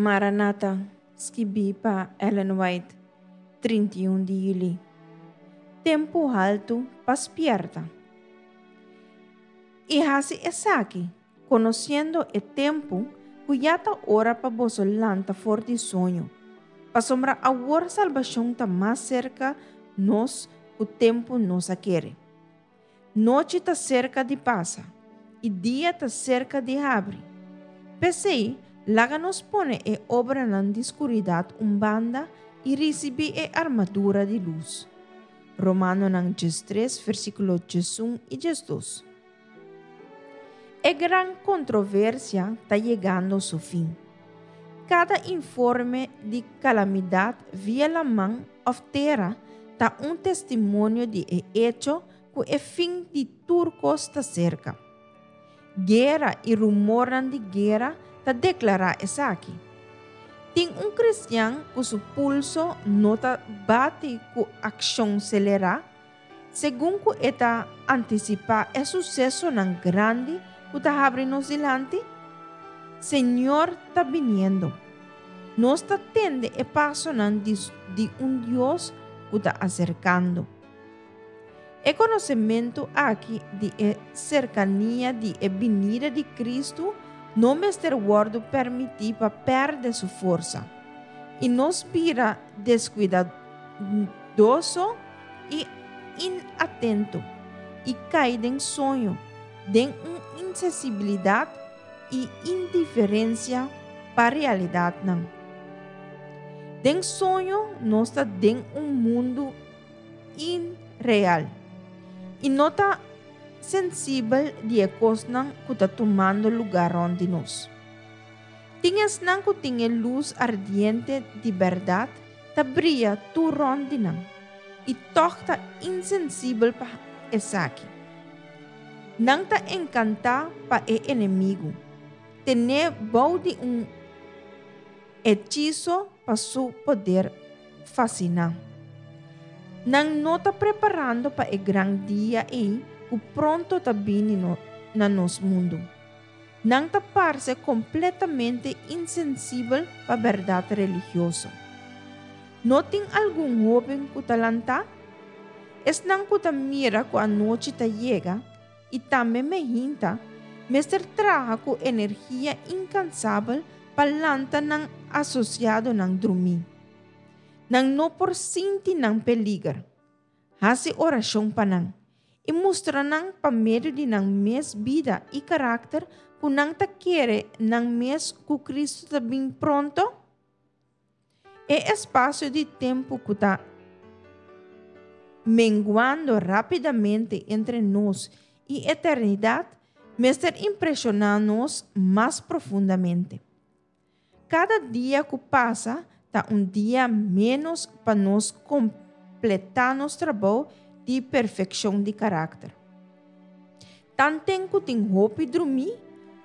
Maranata, skibí pa Ellen White, 31 di yüli. Tempu haltu pa spièrta. I hasi esaki, konosiendo e tempu ku ya ta ora pa boso lanta for di soño, pasobra awor salbashon ta mas serka nos ku tempu nos a kere. Nochi ta serka di pasa, i dia ta serka di habri. P'esei, laga nos pone e obranan di skuridat un banda i risibí e armadura di lus. Romanonan 13, versíkulo 11 i 12. E gran kontroversia ta yegando su fin. Kada informe di kalamidat via laman òf tera ta un testimonio di e echo ku e fin di tur kos ta serka. Guera i rumornan di guera ta deklará esaki. Tin un kristian ku su pulso no ta bati ku akshon selerá segun ku e ta antisipá e susesonan grandi ku ta habri nos dilanti? Señor ta biniendo. Nos ta tende e pasonan di di un Dios ku ta aserkando. E konosementu aki di e serkania di e binida di Kristu no mester wòrdu permití pa pèrdè su forsa i nos bira deskuidadoso i inatento i kai den soño, den un insensibilidat i indiferensia pa realidatnan. Den soño nos ta den un mundu inreal i no ta sensibel di e kosnan ku ta tumando lugá rònt di nos. Tin esnan ku tin e lus ardiente di bèrdat ta bria tur rònt di nan i tòg ta insensibel pa esaki. Nan ta enkantá pa e enemigu, ten'é bou di un hechiso pa su poder fasiná. Nan no ta preparando pa e gran dia ei ku pronto ta bini na nos mundu. Nan ta parse kompletamente insensibel pa bèrdat religioso. No tin algun hóben ku ta lantá? Esnan ku ta mira ku anochi ta yega i tambe mehinta, mester traha ku energia inkansabel pa lanta nan asosiadonan drumí. Nan no por sinti nan peliger. Hasi orashon pa nan i mustra nan pa medio di nan mes bida i karakter ku nan ta kere nan mes ku Kristu ta bin pronto. E espasio di tempu ku ta menguando rápidamente entre nos i eternidat mester impreshoná nos mas profundamente. Kada dia ku pasa ta un dia ménos pa nos kompletá nos trabou di perfekshon di karakter. Tanten ku tin hopi drumí,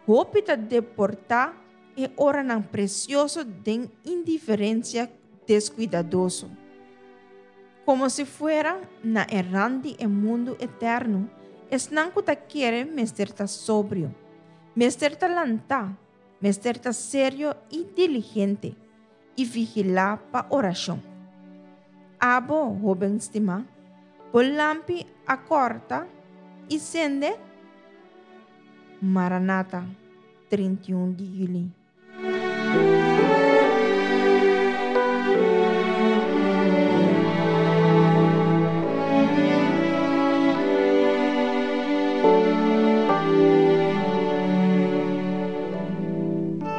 hopi ta deportá E oranan presioso den indiferencia descuidadoso. Como si fuera na e rand di e mundu eterno, esnan cu ta kere mester ta sobrio, mester ta lantá, mester ta serio i diligente, i vigilá pa oracion. Abo, hoben stimá, bo lampi a corta i sende? Maranata. 31 di juli.